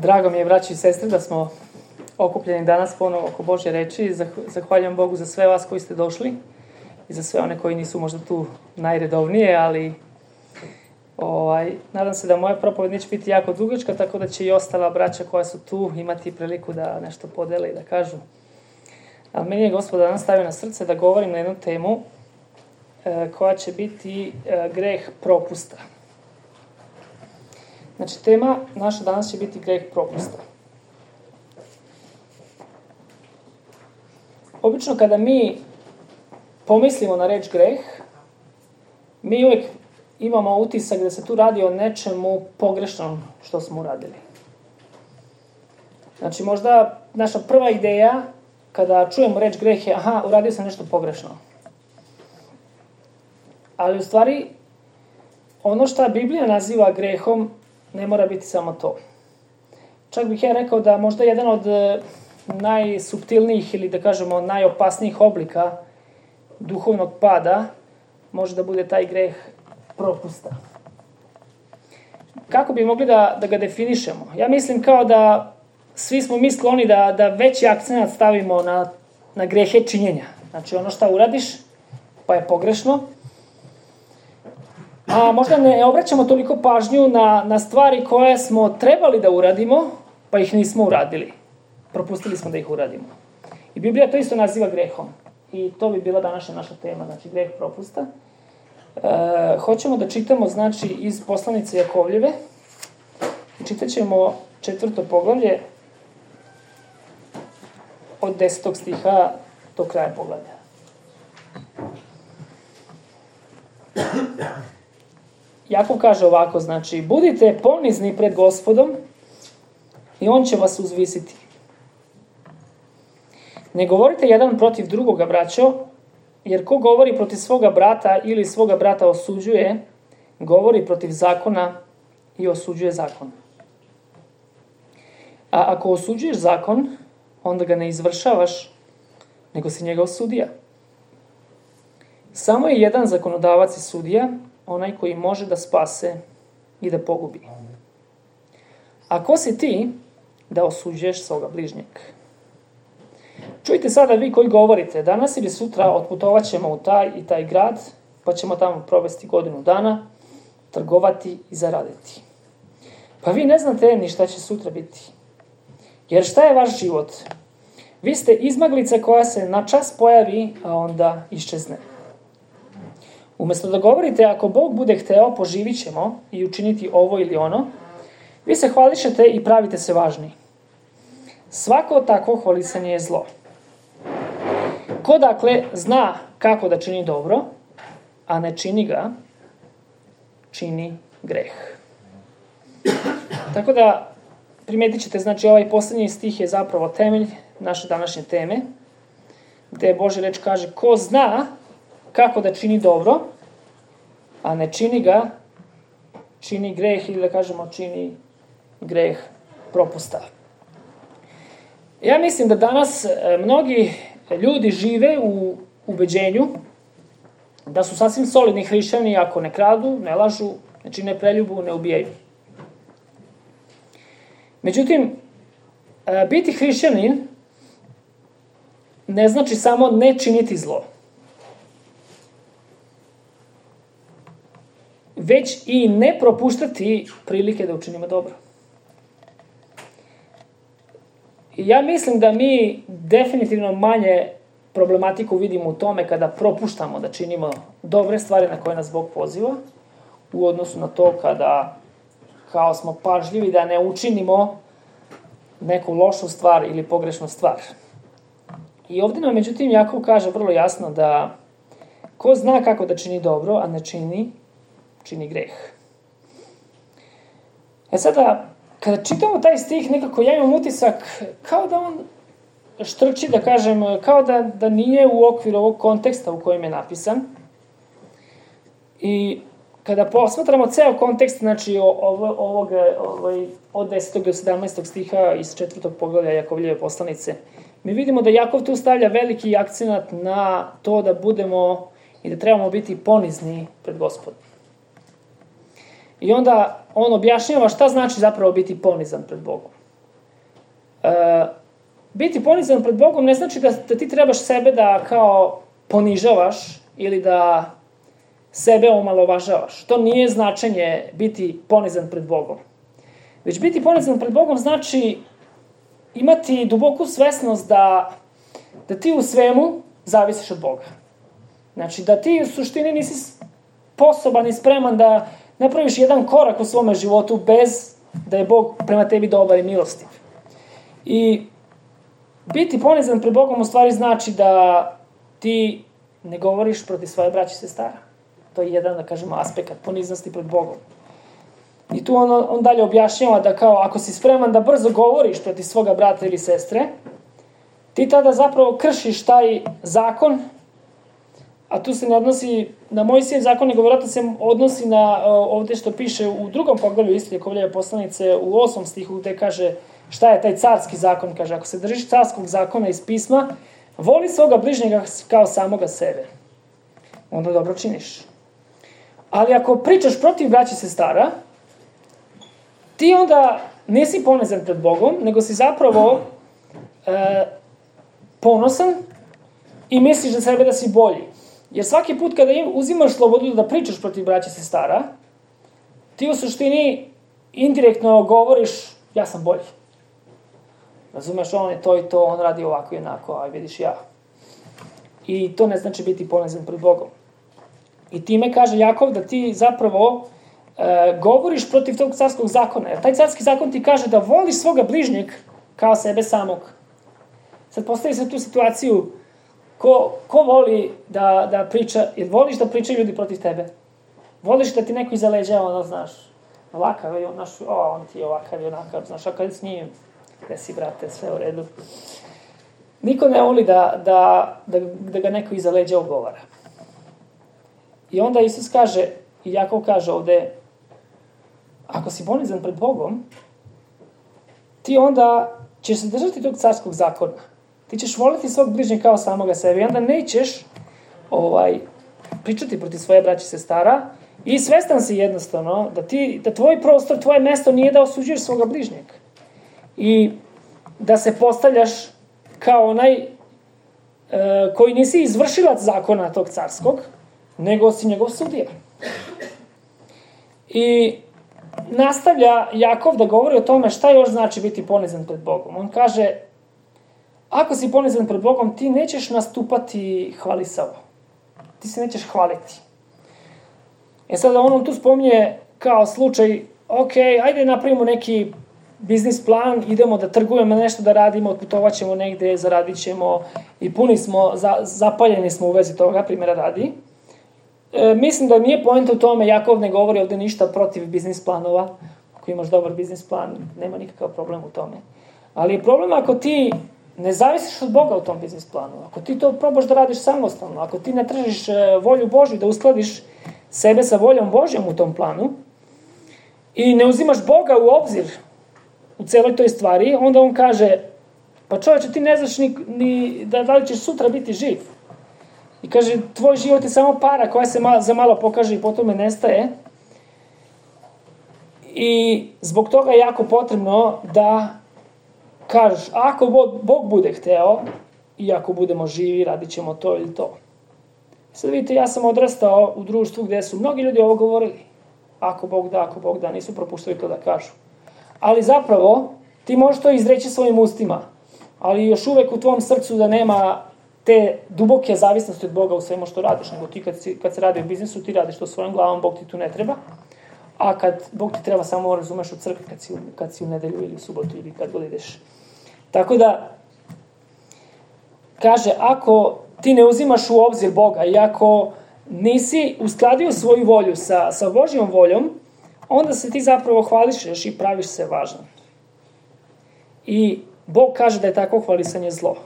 Drago mi je, braći i sestre, da smo okupljeni danas ponovo oko Božje reči. Zahvaljujem Bogu za sve vas koji ste došli i za sve one koji nisu možda tu najredovnije, ali nadam se da moja propoved neće biti jako dugačka, tako da će i ostala braća koja su tu imati priliku da nešto podele i da kažu. Ali meni je Gospod danas stavio na srce da govorim na jednu temu koja će biti greh propusta. Znači, tema naša danas će biti greh propusta. Obično kada mi pomislimo na reč greh, mi uvijek imamo utisak da se tu radi o nečemu pogrešnom što smo uradili. Znači, možda naša prva ideja kada čujemo reč greh je uradio sam nešto pogrešno. Ali u stvari, ono što Biblija naziva grehom ne mora biti samo to. Čak bih ja rekao da možda jedan od najsuptilnijih ili da kažemo najopasnijih oblika duhovnog pada može da bude taj greh propusta. Kako bi mogli da ga definišemo? Ja mislim kao da svi smo mi skloni da veći akcenat stavimo na grehe činjenja. Znači ono što uradiš pa je pogrešno, a možda ne obraćamo toliko pažnju na stvari koje smo trebali da uradimo, pa ih nismo uradili. Propustili smo da ih uradimo. I Biblija to isto naziva grehom. I to bi bila današnja naša tema, znači greh propusta. Hoćemo da čitamo, znači, iz poslanice Jakovljeve. Čitat ćemo 4. poglavlje od 10. stiha do kraja poglavlja. Jakov kaže ovako, znači, budite ponizni pred Gospodom i on će vas uzvisiti. Ne govorite jedan protiv drugoga, braćo, jer ko govori protiv svoga brata ili svoga brata osuđuje, govori protiv zakona i osuđuje zakon. A ako osuđuješ zakon, onda ga ne izvršavaš, nego si njegov sudija. Samo je jedan zakonodavac i sudija, onaj koji može da spase i da pogubi. A ko si ti da osuđuješ svoga bližnjeg? Čujte sada vi koji govorite, danas ili sutra otputovat ćemo u taj i taj grad, pa ćemo tamo provesti godinu dana, trgovati i zaraditi. Pa vi ne znate ni šta će sutra biti. Jer šta je vaš život? Vi ste izmaglica koja se na čas pojavi, a onda iščezne. Umjesto da govorite, ako Bog bude hteo, poživit ćemo i učiniti ovo ili ono, vi se hvališete i pravite se važni. Svako takvo hvalisanje je zlo. Ko dakle zna kako da čini dobro, a ne čini ga, čini greh. Tako da primetit ćete, znači ovaj posljednji stih je zapravo temelj naše današnje teme, gdje Božja reč kaže ko zna kako da čini dobro, a ne čini ga, čini greh ili da kažemo čini greh propusta. Ja mislim da danas mnogi ljudi žive u ubeđenju da su sasvim solidni hrišćani ako ne kradu, ne lažu, ne čine preljubu, ne ubijaju. Međutim, biti hrišćanin ne znači samo ne činiti zlo, već i ne propuštati prilike da učinimo dobro. Ja mislim da mi definitivno manje problematiku vidimo u tome kada propuštamo da činimo dobre stvari na koje nas Bog poziva, u odnosu na to kada kao smo pažljivi da ne učinimo neku lošu stvar ili pogrešnu stvar. I ovdje nam, međutim, Jakov kaže vrlo jasno da ko zna kako da čini dobro, a ne čini greh. Sada, kada čitamo taj stih, nekako ja imam utisak kao da on štrči, da kažem, kao da nije u okviru ovog konteksta u kojem je napisan. I kada posmatramo ceo kontekst, znači od 10. do 17. stiha iz 4. poglavlja Jakovljeve poslanice, mi vidimo da Jakov tu stavlja veliki akcenat na to da budemo i da trebamo biti ponizni pred Gospodom. I onda on objašnjava šta znači zapravo biti ponizan pred Bogom. biti ponizan pred Bogom ne znači da ti trebaš sebe da kao ponižavaš ili da sebe omalovažavaš. To nije značenje biti ponizan pred Bogom. Već biti ponizan pred Bogom znači imati duboku svesnost da ti u svemu zavisiš od Boga. Znači da ti u suštini nisi sposoban i spreman da napraviš jedan korak u svome životu bez da je Bog prema tebi dobar i milostiv. I biti ponizan pred Bogom u stvari znači da ti ne govoriš protiv svoje braće i sestara. To je jedan, da kažemo, aspekt poniznosti pred Bogom. I tu on dalje objašnjava da kao ako si spreman da brzo govoriš protiv svoga brata ili sestre, ti tada zapravo kršiš taj zakon, a tu se ne odnosi na Mojsijev zakon, nego vjerojatno se odnosi na ovdje što piše u 2. poglavlju isto Jakovljeve poslanice u 8. stihu gdje kaže šta je taj carski zakon. Kaže, ako se držiš carskog zakona iz pisma, voli svoga bližnjega kao samoga sebe. Onda dobro činiš. Ali ako pričaš protiv braća i sestara, ti onda nisi ponizan pred Bogom, nego si zapravo ponosan i misliš za sebe da si bolji. Jer svaki put kada uzimaš slobodu da pričaš protiv braća i sestara, ti u suštini indirektno govoriš ja sam bolji. Razumeš, on je to i to, on radi ovako i onako, a vidiš ja. I to ne znači biti ponizan pred Bogom. I time kaže Jakov da ti zapravo govoriš protiv tog carskog zakona. Jer taj carski zakon ti kaže da voliš svoga bližnjeg kao sebe samog. Sad postavi se tu situaciju ko voli da priča, jer voliš da pričaju ljudi protiv tebe. Voliš da ti neko iza leđa, ono, znaš, ovakav je, on ti je ovakav i onakav, znaš, a kad s njim, gde si, brate, sve u redu. Niko ne voli da ga neko iza leđa ogovara. I onda Isus kaže, i Jakov kaže ovde, ako si ponizan pred Bogom, ti onda ćeš se držati tog carskog zakona. Ti ćeš voliti svog bližnjeg kao samoga sebe i onda nećeš pričati protiv svoje braće i sestara i svestan si jednostavno da tvoj prostor, tvoje mesto nije da osuđuješ svoga bližnjeg. I da se postavljaš kao onaj koji nisi izvršilac zakona tog carskog, nego si njegov sudija. I nastavlja Jakov da govori o tome šta još znači biti ponizan pred Bogom. On kaže, ako si ponizan pred Bogom, ti nećeš nastupati hvalisavo. Ti se nećeš hvaliti. Sada on tu spominje kao slučaj, ok, ajde napravimo neki biznis plan, idemo da trgujemo, nešto da radimo, otputovat ćemo negde, zaradit ćemo i puni smo, zapaljeni smo u vezi toga, primjera radi. Mislim da nije poenta u tome, Jakov ne govori ovde ništa protiv biznis planova. Ako imaš dobar biznis plan, nema nikakav problem u tome. Ali je problem ako ti ne zavisiš od Boga u tom biznis planu, ako ti to probaš da radiš samostalno, ako ti ne tražiš volju Božju, da uskladiš sebe sa voljom Božjom u tom planu i ne uzimaš Boga u obzir u celoj toj stvari, onda on kaže, pa čovječe, ti ne znaš ni da li ćeš sutra biti živ. I kaže, tvoj život je samo para koja se za malo pokaže i potom je nestaje. I zbog toga je jako potrebno da kažeš, ako Bog bude hteo i ako budemo živi, radit ćemo to ili to. Sad vidite, ja sam odrastao u društvu gdje su mnogi ljudi ovo govorili. Ako Bog da, nisu propuštali to da kažu. Ali zapravo, ti možeš to izreći svojim ustima, ali još uvek u tvom srcu da nema te duboke zavisnosti od Boga u svemu što radiš, nego ti kad se radi o biznisu, ti radiš to svojom glavom, Bog ti tu ne treba, a kad Bog ti treba samo razumeš u crkvi kad si u nedelju ili u subotu ili kad god ideš. Tako da, kaže, ako ti ne uzimaš u obzir Boga i ako nisi uskladio svoju volju sa Božjom voljom, onda se ti zapravo hvališeš i praviš se važan. I Bog kaže da je tako hvalisanje zlo.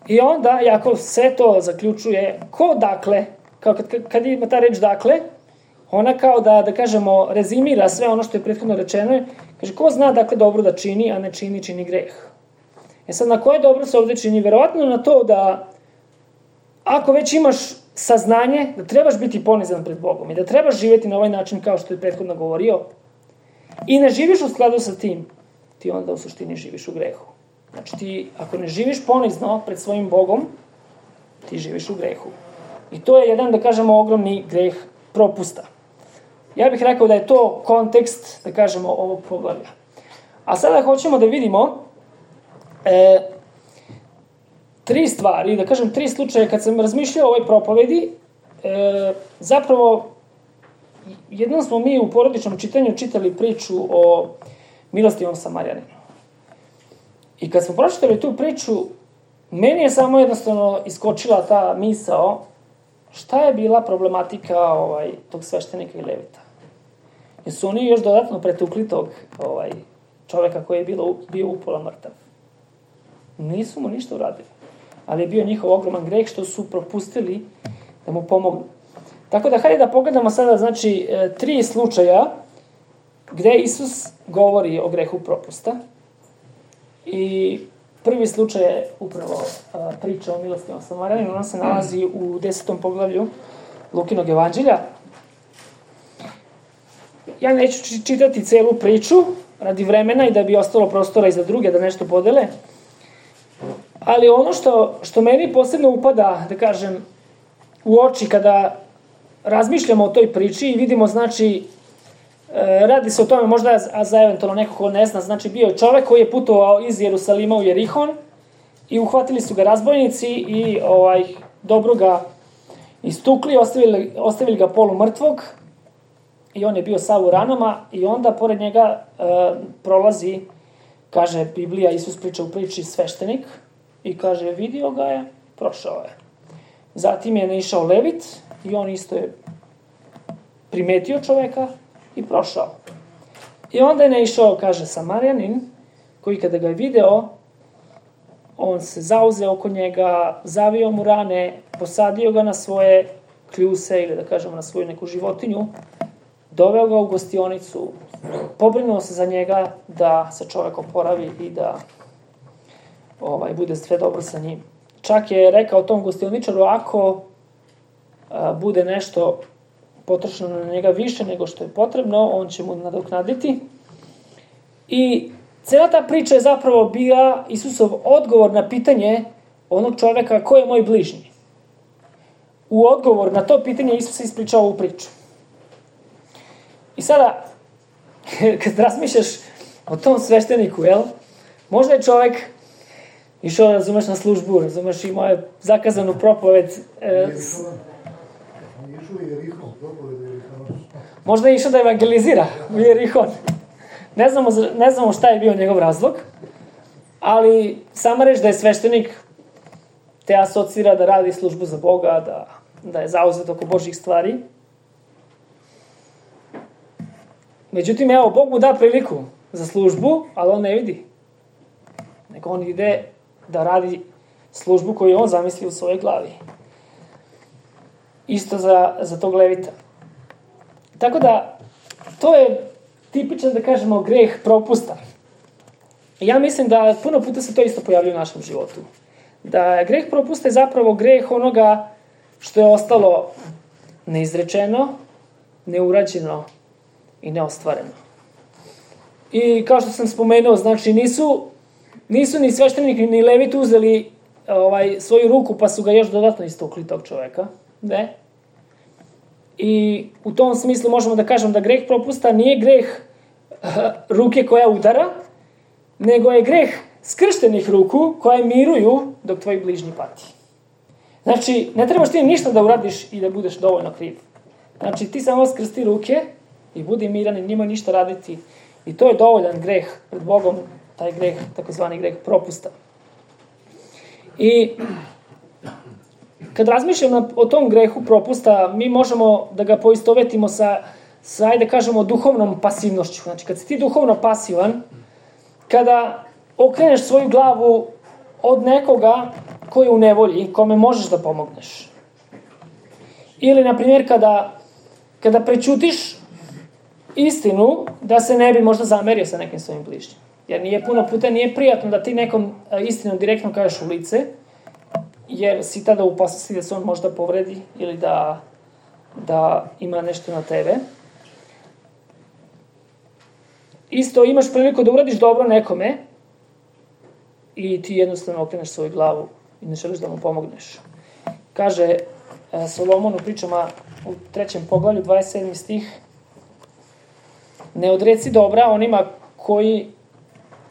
I onda Jakov sve to zaključuje, ko dakle, kad ima ta reč dakle, ona kao da kažemo rezimira sve ono što je prethodno rečeno, kaže ko zna dakle dobro da čini, a ne čini greh. Sad na koje dobro se ovdje čini? Verovatno na to da ako već imaš saznanje da trebaš biti ponizan pred Bogom i da trebaš živjeti na ovaj način kao što je prethodno govorio i ne živiš u skladu sa tim, ti onda u suštini živiš u grehu. Znači ti, ako ne živiš ponizno pred svojim Bogom, ti živiš u grehu. I to je jedan, da kažemo, ogromni greh propusta. Ja bih rekao da je to kontekst, da kažemo, ovog poglavlja. A sada hoćemo da vidimo tri stvari, da kažem, tri slučaje. Kad sam razmišljao o ovoj propovedi, zapravo, jednom smo mi u porodičnom čitanju čitali priču o milostivom Samarjaninu. I kad smo pročitali tu priču, meni je samo jednostavno iskočila ta misao šta je bila problematika tog sveštenika i levita. Jer su oni još dodatno pretukli tog čoveka koji je bio upola mrtav. Nisu mu ništa uradili. Ali je bio njihov ogroman greh što su propustili da mu pomognu. Tako da, hajde da pogledamo sada, znači, tri slučaja gde Isus govori o grehu propusta. I prvi slučaj je upravo priča o milostivom Samarjaninu. Ona se nalazi u 10. poglavlju Lukinog evanđelja. Ja neću čitati celu priču radi vremena i da bi ostalo prostora i za druge da nešto podele. Ali ono što meni posebno upada, da kažem, u oči kada razmišljamo o toj priči i vidimo, znači, radi se o tome možda za eventualno neko ko ne zna, znači bio je čovek koji je putovao iz Jerusalima u Jerihon i uhvatili su ga razbojnici i dobro ga istukli, ostavili ga polumrtvog i on je bio sav u ranama i onda pored njega prolazi, kaže Biblija, Isus priča u priči sveštenik i kaže vidio ga je, prošao je. Zatim je naišao levit i on isto je primetio čoveka i prošao. I onda je naišao, kaže, Samarjanin, koji kada ga je video, on se zauzeo oko njega, zavio mu rane, posadio ga na svoje kljuse ili da kažemo na svoju neku životinju, doveo ga u gostionicu, pobrinuo se za njega da se čovek oporavi i da bude sve dobro sa njim. Čak je rekao tom gostioničaru, ako bude nešto potrošeno na njega više nego što je potrebno, on će mu nadoknaditi. I cela ta priča je zapravo bila Isusov odgovor na pitanje onog čoveka ko je moj bližnji. U odgovor na to pitanje Isus je ispričao ovu priču. I sada, kad razmišljaš o tom svešteniku, možda je čovek išao, razumeš, na službu, razumeš, imao je zakazanu propoved. Možda je išao da evangelizira u Jerihon. Ne znamo šta je bio njegov razlog, ali sama reč da je sveštenik te asocira da radi službu za Boga, da je zauzet oko Božjih stvari. Međutim, evo, Bog mu da priliku za službu, ali on ne vidi. Nego on ide da radi službu koju on zamisli u svojoj glavi. Isto za tog levita. Tako da, to je tipičan, da kažemo, greh propusta. Ja mislim da puno puta se to isto pojavlja u našem životu. Da greh propusta je zapravo greh onoga što je ostalo neizrečeno, neurađeno i neostvareno. I kao što sam spomenuo, znači nisu ni sveštenik ni levit uzeli svoju ruku pa su ga još dodatno istukli tog čoveka. Ne. I u tom smislu možemo da kažem da greh propusta nije greh ruke koja udara, nego je greh skrštenih ruku koje miruju dok tvoj bližnji pati. Znači, ne trebaš ti ništa da uradiš i da budeš dovoljno kriv. Znači, ti samo skrsti ruke i budi miran i njima ništa raditi. I to je dovoljan greh pred Bogom, taj greh, takozvani greh propusta. I kad razmišljam o tom grehu propusta, mi možemo da ga poistovetimo sa ajde kažemo, duhovnom pasivnošću. Znači, kad si ti duhovno pasivan, kada okreneš svoju glavu od nekoga koji je u nevolji, kome možeš da pomogneš. Ili, na primjer, kada prećutiš istinu, da se ne bi možda zamerio sa nekim svojim bližnjim. Jer puno puta nije prijatno da ti nekom istinom direktno kažeš u lice, jer si tada u opasnosti da se on možda povredi ili da ima nešto na tebe. isto imaš priliku da uradiš dobro nekome i ti jednostavno okreneš svoju glavu i ne želiš da mu pomogneš. Kaže Solomon u pričama u 3. poglavlju, 27. stih: ne odreci dobra onima koji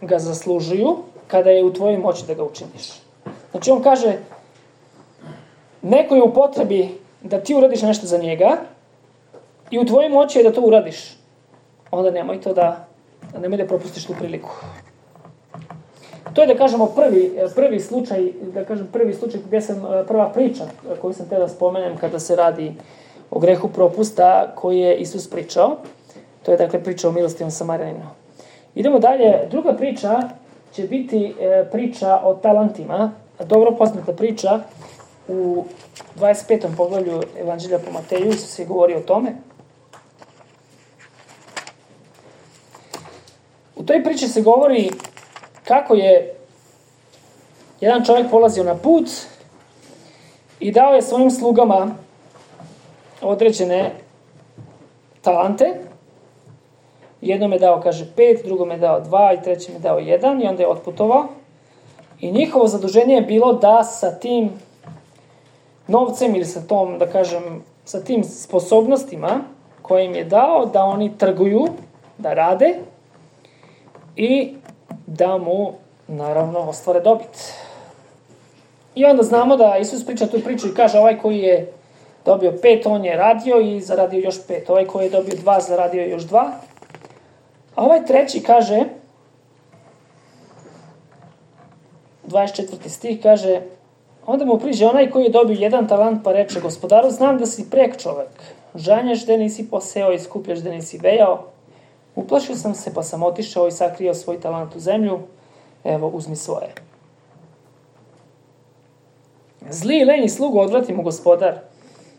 ga zaslužuju, kada je u tvojoj moći da ga učiniš. Znači on kaže, neko je u potrebi da ti uradiš nešto za njega i u tvojoj moći je da to uradiš. Onda nemoj da propustiš tu priliku. To je, da kažemo, prvi slučaj gdje sam, prva priča koju sam htio da spomenem kada se radi o grehu propusta koji je Isus pričao. To je, dakle, priča o milostivom Samarjaninu. Idemo dalje. Druga priča će biti priča o talentima. Dobro poznata priča u 25. poglavlju Evanđelja po Mateju. Isus je govorio o tome. U toj priči se govori kako je jedan čovjek polazio na put i dao je svojim slugama određene talente. Jednom je dao, kaže, 5, drugom je dao 2 i trećem je dao 1 i onda je otputovao. I njihovo zaduženje je bilo da sa tim novcem ili sa tom, da kažem, sa tim sposobnostima koje im je dao, da oni trguju, da rade i da mu, naravno, ostvare dobit. I onda znamo da Isus priča tu priču i kaže, ovaj koji je dobio 5, on je radio i zaradio još 5. Ovaj koji je dobio 2, zaradio još 2. A ovaj treći kaže, 24. stih kaže, onda mu priđe onaj koji je dobio 1 talant pa reče, gospodaru, znam da si prek čovek, žanješ da nisi poseo i skupljaš da nisi vejao. Uplašio sam se pa sam otišao i sakrio svoj talant u zemlju, evo uzmi svoje. Zli i lenji slugu odvrati mu gospodar,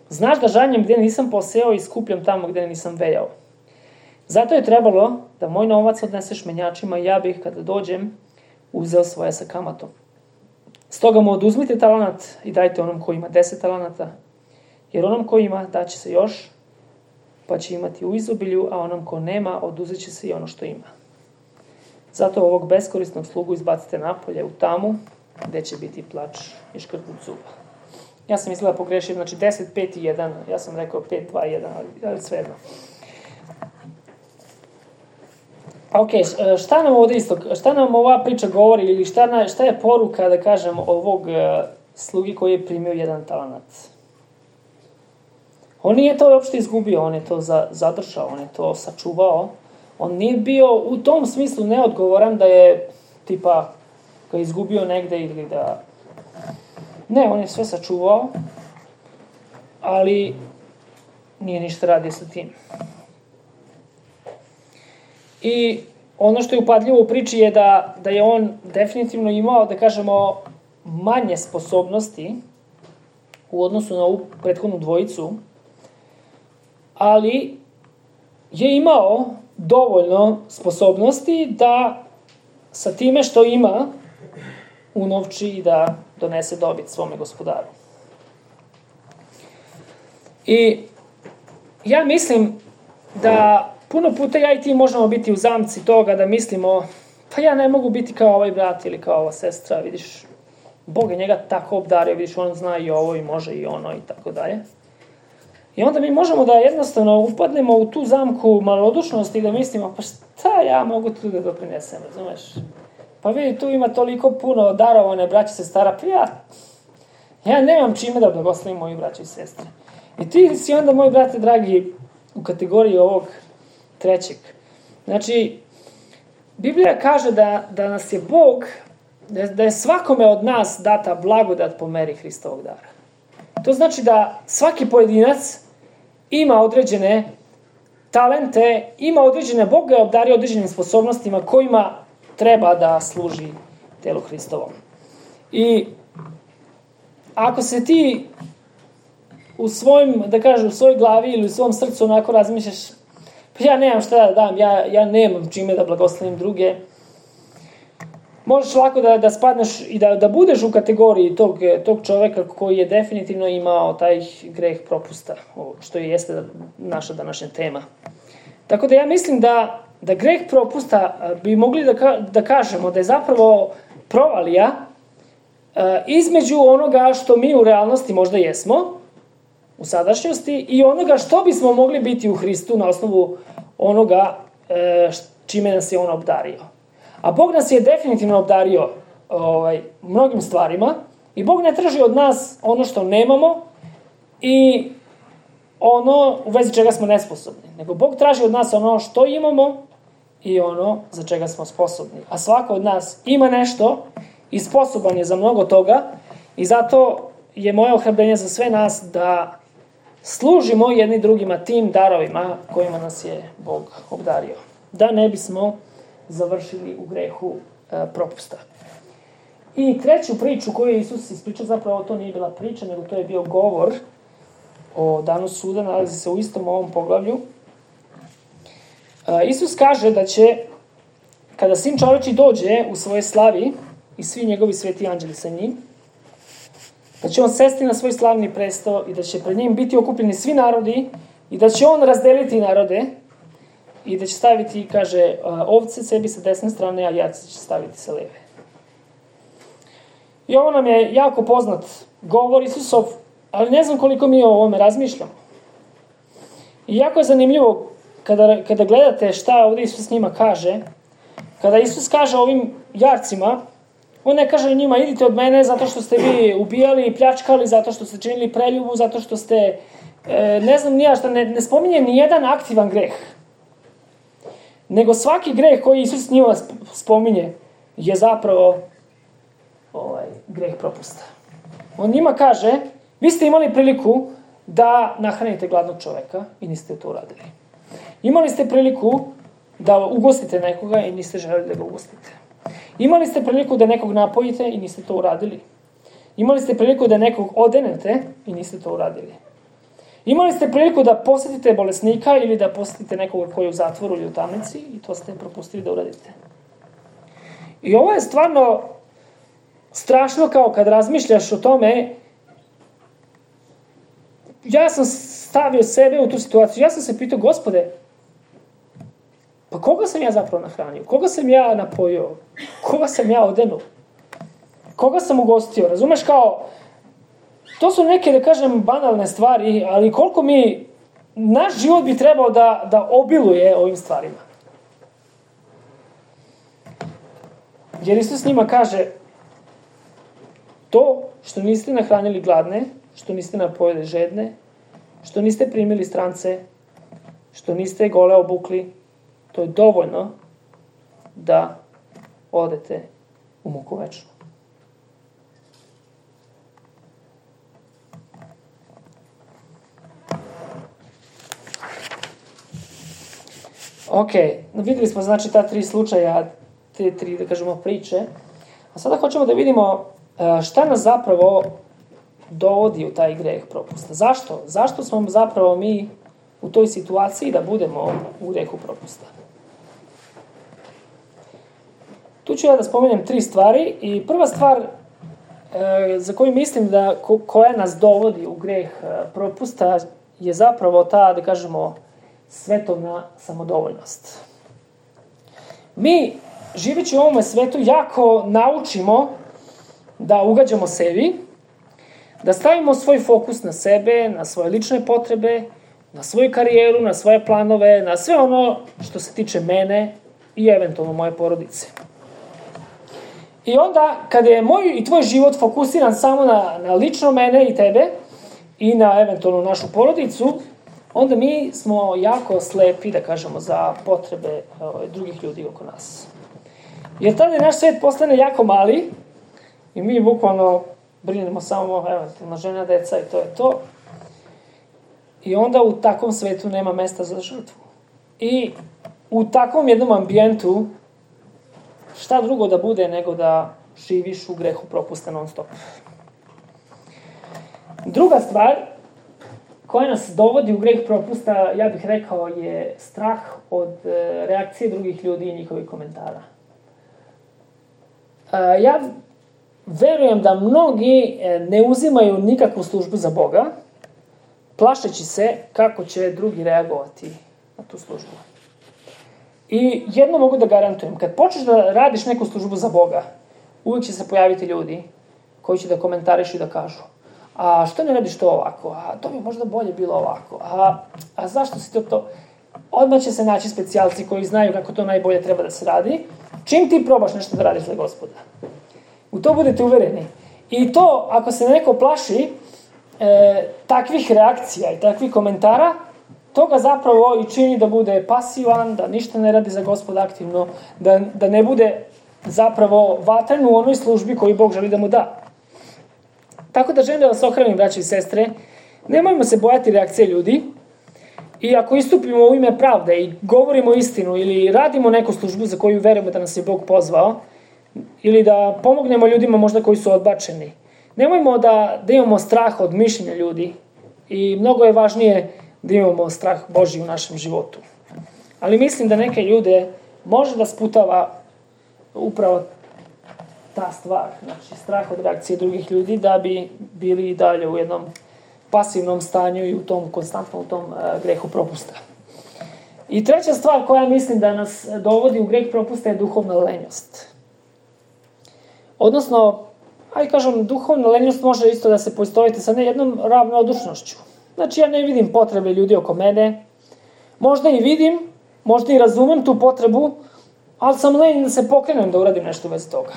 znaš da žanjem gdje nisam poseo i skupljam tamo gdje nisam vejao. Zato je trebalo da moj novac odneseš menjačima i ja bih, kada dođem, uzeo svoje sa kamatom. Stoga mu oduzmite talenat i dajte onom koji ima 10 talenata, jer onom koji ima daće se još, pa će imati u izobilju, a onom ko nema oduzet će se i ono što ima. Zato ovog beskorisnog slugu izbacite napolje u tamu, gdje će biti plač i škrgut zuba. Ja sam mislila pogrešio, znači 10, 5 i 1, ja sam rekao 5, 2, 1, ali svejedno. Ok, šta nam ova priča govori ili šta je poruka, da kažem, ovog slugi koji je primio 1 talenat? On nije to uopšte izgubio, on je to zadržao, on je to sačuvao. On nije bio u tom smislu neodgovoran da je tipa ga izgubio negde ili da... Ne, on je sve sačuvao, ali nije ništa radio sa tim. I ono što je upadljivo u priči je da je on definitivno imao, da kažemo, manje sposobnosti u odnosu na ovu prethodnu dvojicu, ali je imao dovoljno sposobnosti da sa time što ima unovči i da donese dobit svome gospodaru. I ja mislim da puno puta ja i ti možemo biti u zamci toga da mislimo, pa ja ne mogu biti kao ovaj brat ili kao ova sestra, vidiš, Bog je njega tako obdario, vidiš, on zna i ovo i može i ono i tako dalje. I onda mi možemo da jednostavno upadnemo u tu zamku malodušnosti i da mislimo, pa šta ja mogu tu da doprinesem, razumeš? Pa vidi, tu ima toliko puno darovane braće i sestara, pa ja nemam čime da blagoslovim moji braće i sestre. I ti si onda, moji brate dragi, u kategoriji ovog trećeg. Znači, Biblija kaže da nas je Bog, da je svakome od nas data blagodat po meri Hristovog dara. To znači da svaki pojedinac ima određene talente, ima određene, Bog ga obdario određenim sposobnostima kojima treba da služi telu Hristovom. I ako se ti u svojim, da kažem, u svojoj glavi ili u svom srcu onako razmišljaš, pa ja nemam šta da dam, ja nemam čime da blagoslovim druge, možeš lako da spadneš i da budeš u kategoriji tog čoveka koji je definitivno imao taj greh propusta, što jeste naša današnja tema. Tako da ja mislim da da greh propusta bi mogli da kažemo da je zapravo provalija između onoga što mi u realnosti možda jesmo, u sadašnjosti, i onoga što bismo mogli biti u Hristu na osnovu onoga čime nas je on obdario. A Bog nas je definitivno obdario mnogim stvarima i Bog ne traži od nas ono što nemamo i ono u vezi čega smo nesposobni, nego Bog traži od nas ono što imamo i ono za čega smo sposobni. A svako od nas ima nešto i sposoban je za mnogo toga i zato je moje ohrabrenje za sve nas da služimo jedni drugima tim darovima kojima nas je Bog obdario. Da ne bismo završili u grehu propusta. I treću priču koju je Isus ispričao, zapravo to nije bila priča, nego to je bio govor o danu suda, nalazi se u istom ovom poglavlju. Isus kaže da će, kada Sin čoveči dođe u svoje slavi i svi njegovi sveti anđeli sa njim, da će on sesti na svoj slavni presto i da će pred njim biti okupljeni svi narodi i da će on razdeliti narode i da će staviti, kaže, ovce sebi sa desne strane, a jarce će staviti sa leve. I ovo nam je jako poznat govor Isusov, ali ne znam koliko mi o ovome razmišljamo. I jako je zanimljivo kada gledate šta ovdje Isus njima kaže. Kada Isus kaže ovim jarcima, on ne kaže njima idite od mene zato što ste vi ubijali i pljačkali, zato što ste činili preljubu, zato što ste, ne znam nija šta, ne spominje ni jedan aktivan greh. Nego svaki greh koji Isus njima spominje je zapravo greh propusta. On njima kaže, vi ste imali priliku da nahranite gladnog čoveka i niste to uradili. Imali ste priliku da ugostite nekoga i niste želeli da ga ugostite. Imali ste priliku da nekog napojite i niste to uradili. Imali ste priliku da nekog odenete i niste to uradili. Imali ste priliku da posjetite bolesnika ili da posjetite nekoga koji je u zatvoru ili u tamnici i to ste propustili da uradite. I ovo je stvarno strašno kao kad razmišljaš o tome. Ja sam stavio sebe u tu situaciju. Ja sam se pitao, Gospode, pa koga sam ja zapravo nahranio? Koga sam ja napojio? Koga sam ja odenuo? Koga sam ugostio? Razumeš kao, to su neke, da kažem, banalne stvari, ali koliko naš život bi trebao da obiluje ovim stvarima. Jer Isus njima kaže, to što niste nahranili gladne, što niste napojili žedne, što niste primili strance, što niste gole obukli, to je dovoljno da odete u muku večnu. Ok, vidjeli smo znači ta 3 slučaja, te 3, da kažemo, priče. A sada hoćemo da vidimo šta nas zapravo dovodi u taj greh propusta. Zašto? Zašto smo zapravo mi u toj situaciji da budemo u grehu propusta? Tu ću ja da spomenem 3 stvari i prva stvar za koju mislim da koja nas dovodi u greh propusta je zapravo ta, da kažemo, svetovna samodovoljnost. Mi, živeći u ovome svetu, jako naučimo da ugađamo sebi, da stavimo svoj fokus na sebe, na svoje lične potrebe, na svoju karijeru, na svoje planove, na sve ono što se tiče mene i eventualno moje porodice. I onda, kada je moj i tvoj život fokusiran samo na lično mene i tebe i na eventualno našu porodicu, onda mi smo jako slepi, da kažemo, za potrebe drugih ljudi oko nas. Jer tada naš svet postane jako mali i mi bukvalno brinemo samo eventualno žena, deca i to je to. I onda u takvom svetu nema mesta za žrtvu. I u takvom jednom ambijentu šta drugo da bude nego da živiš u grehu propusta non stop. Druga stvar koja nas dovodi u greh propusta, ja bih rekao, je strah od reakcije drugih ljudi i njihovih komentara. Ja verujem da mnogi ne uzimaju nikakvu službu za Boga, plašeći se kako će drugi reagovati na tu službu. I jedno mogu da garantujem, kad počneš da radiš neku službu za Boga, uvijek će se pojaviti ljudi koji će da komentarišu i da kažu: a što ne radiš to ovako, a to bi možda bolje bilo ovako, a zašto si to? Odmah će se naći specijalci koji znaju kako to najbolje treba da se radi, čim ti probaš nešto da radiš za Gospoda. U to budete uvereni. I to, ako se neko plaši takvih reakcija i takvih komentara, to ga zapravo i čini da bude pasivan, da ništa ne radi za Gospoda aktivno, da ne bude zapravo vatren u onoj službi koju Bog želi da mu da. Tako da želim da vas ohranim, braći i sestre, nemojmo se bojati reakcije ljudi, i ako istupimo u ime pravde i govorimo istinu ili radimo neku službu za koju verujemo da nas je Bog pozvao, ili da pomognemo ljudima možda koji su odbačeni, nemojmo da imamo strah od mišljenja ljudi, i mnogo je važnije da imamo strah Božji u našem životu. Ali mislim da neke ljude može da sputava upravo ta stvar, znači strah od reakcije drugih ljudi, da bi bili i dalje u jednom pasivnom stanju i u tom konstantnom grehu propusta. I treća stvar koja mislim da nas dovodi u greh propusta je duhovna lenjost. Odnosno, duhovna lenjost može isto da se poistoviti sa jednom ravnodušnošću. Znači, ja ne vidim potrebe ljudi oko mene, možda i vidim, možda i razumem tu potrebu, ali sam lenj da se pokrenem da uradim nešto u vezi toga.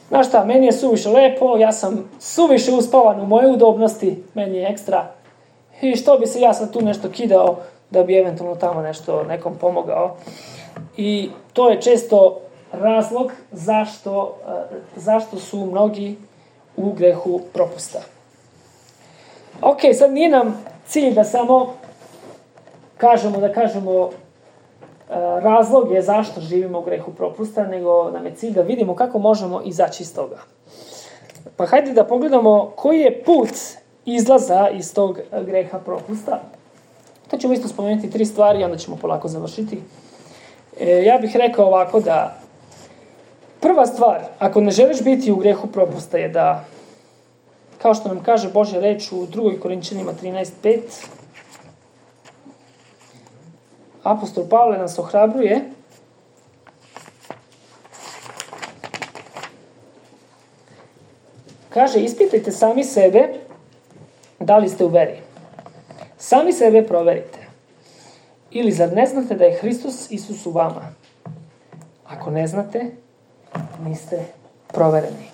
Znaš šta, meni je suviše lepo, ja sam suviše uspavan u moje udobnosti, meni je ekstra. I što bi se ja sad tu nešto kidao da bi eventualno tamo nešto nekom pomogao. I to je često razlog zašto su mnogi u grehu propusta. Ok, sad nije nam cilj da samo kažemo razlog je zašto živimo u grehu propusta, nego nam je cilj da vidimo kako možemo izaći iz toga. Pa hajde da pogledamo koji je put izlaza iz tog greha propusta. To ćemo isto spomenuti 3 stvari, onda ćemo polako završiti. Ja bih rekao ovako da prva stvar, ako ne želiš biti u grehu propusta, je da, kao što nam kaže Božja reč u 2. Korinčanima 13:5, apostol Pavle nas ohrabruje kaže: ispitajte sami sebe da li ste u veri. Sami sebe proverite. Ili zar ne znate da je Hristos Isus u vama? Ako ne znate, niste provereni.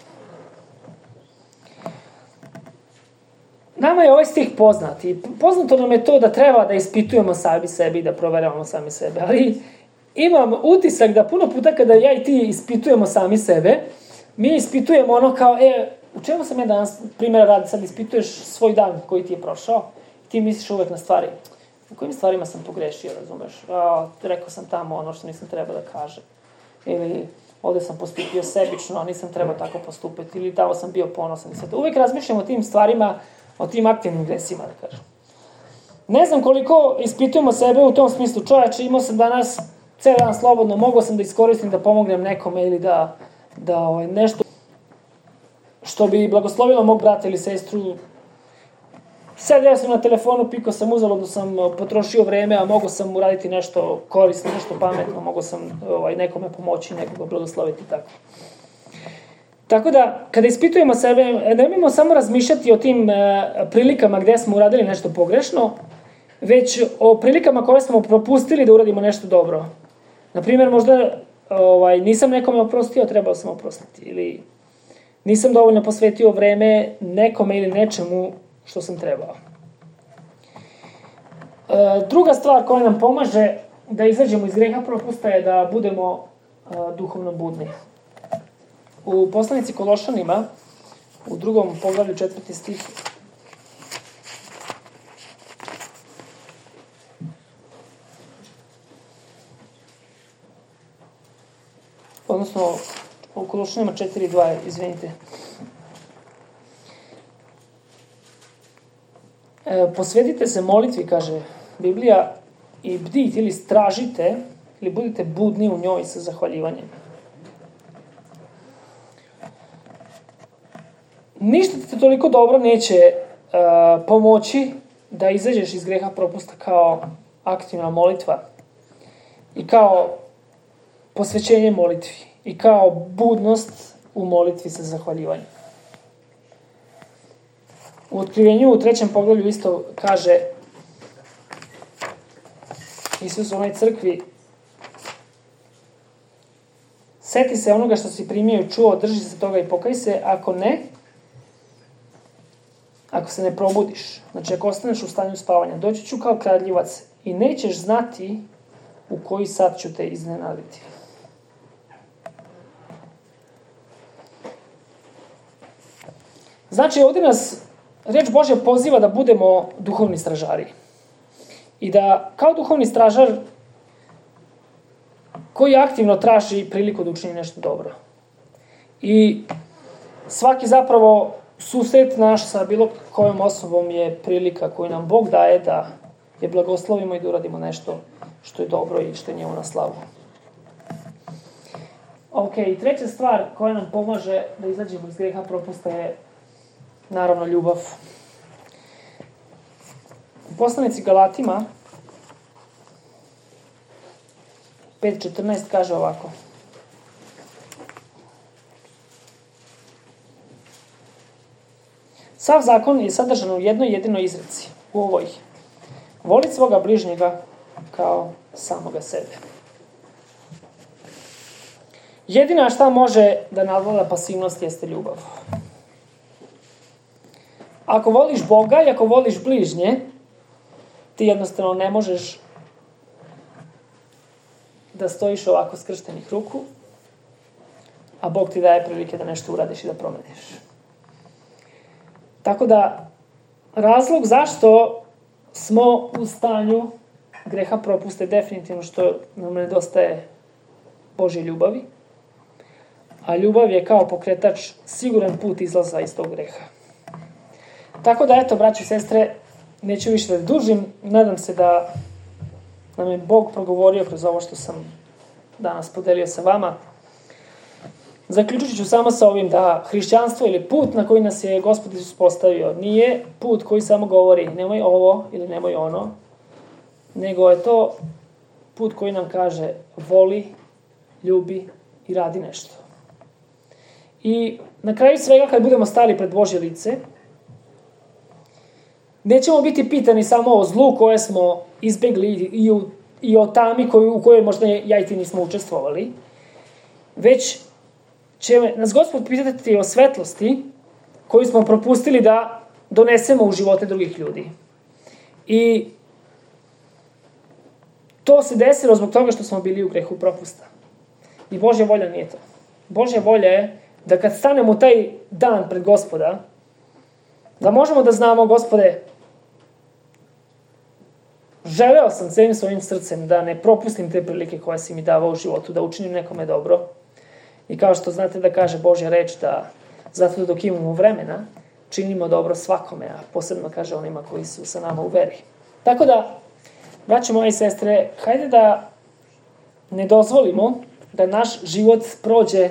Nama je ovaj stih poznat i poznato nam je to da treba da ispitujemo sami sebi i da proveravamo sami sebe, ali imam utisak da puno puta kada ja i ti ispitujemo sami sebe, mi ispitujemo ono kao, u čemu sam ja danas, primjera radi, sad ispituješ svoj dan koji ti je prošao, ti misliš uvek na stvari, u kojim stvarima sam pogrešio, razumeš, rekao sam tamo ono što nisam trebao da kažem, ili ovdje sam postupio sebično, a nisam trebao tako postupiti, ili tamo sam bio ponosan. Uvijek razmišljam o tim stvarima, o tim aktivnim gresima, da kažem. Ne znam koliko ispitujemo sebe u tom smislu. Čovječe, imao sam danas cijel dan slobodno, mogao sam da iskoristim da pomognem nekome ili da nešto što bi blagoslovilo mog brata ili sestru. Sedeo sam na telefonu, pikao sam, uzaludno sam potrošio vreme, a mogao sam uraditi nešto korisno, nešto pametno, mogao sam nekome pomoći, nekoga blagosloviti tako. Tako da, kada ispitujemo sebe, nemojmo samo razmišljati o tim prilikama gdje smo uradili nešto pogrešno, već o prilikama koje smo propustili da uradimo nešto dobro. Naprimjer, možda nisam nekome oprostio, trebao sam oprostiti. Ili nisam dovoljno posvetio vreme nekome ili nečemu što sam trebao. Druga stvar koja nam pomaže da izađemo iz greha propusta je da budemo duhovno budni. U poslanici Kološanima, u 2. poglavlju 4. stih, odnosno u Kološanima 4:2, izvinite. Posvetite se molitvi, kaže Biblija, i bdite ili stražite, ili budite budni u njoj sa zahvaljivanjem. Ništa ti toliko dobro neće pomoći da izađeš iz greha propusta kao aktivna molitva. i kao posvećenje molitvi i kao budnost u molitvi sa zahvaljivanjem. U Otkrivenju u 3. poglavlju isto kaže Isus u onoj crkvi: seti se onoga što si primio i čuo, drži se toga i pokaj se, ako se ne probudiš, znači ako ostaneš u stanju spavanja, doći ću kao kradljivac i nećeš znati u koji sat ću te iznenaditi. Znači, ovdje nas reč Božja poziva da budemo duhovni stražari. I da, kao duhovni stražar, koji aktivno traži priliku da učini nešto dobro. I svaki zapravo susret naš sa bilo kojom osobom je prilika koju nam Bog daje da je blagoslovimo i da uradimo nešto što je dobro i što je njemu na slavu. Ok, treća stvar koja nam pomaže da izađemo iz greha propusta je naravno ljubav. U poslanici Galatima 5.14 kaže ovako: sav zakon je sadržan u jednoj jedinoj izreci, u ovoj: voli svoga bližnjega kao samoga sebe. Jedina šta može da nadvlada pasivnost jeste ljubav. Ako voliš Boga i ako voliš bližnje, ti jednostavno ne možeš da stojiš ovako skrštenih ruku, a Bog ti daje prilike da nešto uradiš i da promeniš. Tako da, razlog zašto smo u stanju greha propuste definitivno što nam nedostaje Božje ljubavi, a ljubav je kao pokretač siguran put izlaza iz tog greha. Tako da, eto, braći i sestre, neću više da dužim, nadam se da nam je Bog progovorio kroz ovo što sam danas podelio sa vama. Zaključit ću samo sa ovim da hrišćanstvo ili put na koji nas je Gospod Isus postavio nije put koji samo govori nemoj ovo ili nemoj ono, nego je to put koji nam kaže voli, ljubi i radi nešto. I na kraju svega, kad budemo stali pred Božje lice, nećemo biti pitani samo o zlu koje smo izbegli i o tami u kojoj možda ja i ti nismo učestvovali, već će nas Gospod pitati o svetlosti koju smo propustili da donesemo u živote drugih ljudi. I to se desilo zbog toga što smo bili u grehu propusta. I Božja volja nije to. Božja volja je da kad stanemo u taj dan pred Gospoda, da možemo da znamo: Gospode, želeo sam celim svojim srcem da ne propustim te prilike koje si mi davao u životu, da učinim nekome dobro. I kao što znate da kaže Božja reč, da zato dok imamo vremena, činimo dobro svakome, a posebno kaže onima koji su sa nama u veri. Tako da, braćo moje i sestre, hajde da ne dozvolimo da naš život prođe,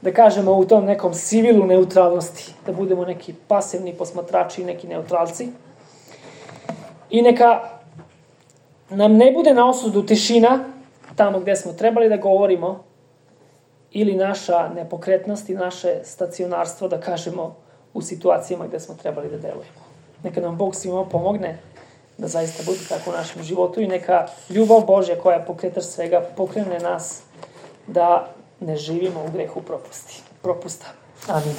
da kažemo, u tom nekom sivilu neutralnosti, da budemo neki pasivni posmatrači, neki neutralci. I neka nam ne bude na osudu tišina tamo gde smo trebali da govorimo, ili naša nepokretnost i naše stacionarstvo, da kažemo, u situacijama gde smo trebali da delujemo. Neka nam Bog svima pomogne da zaista bude tako u našem životu i neka ljubav Božja koja pokretač svega pokrene nas da ne živimo u grehu propusta. Amin.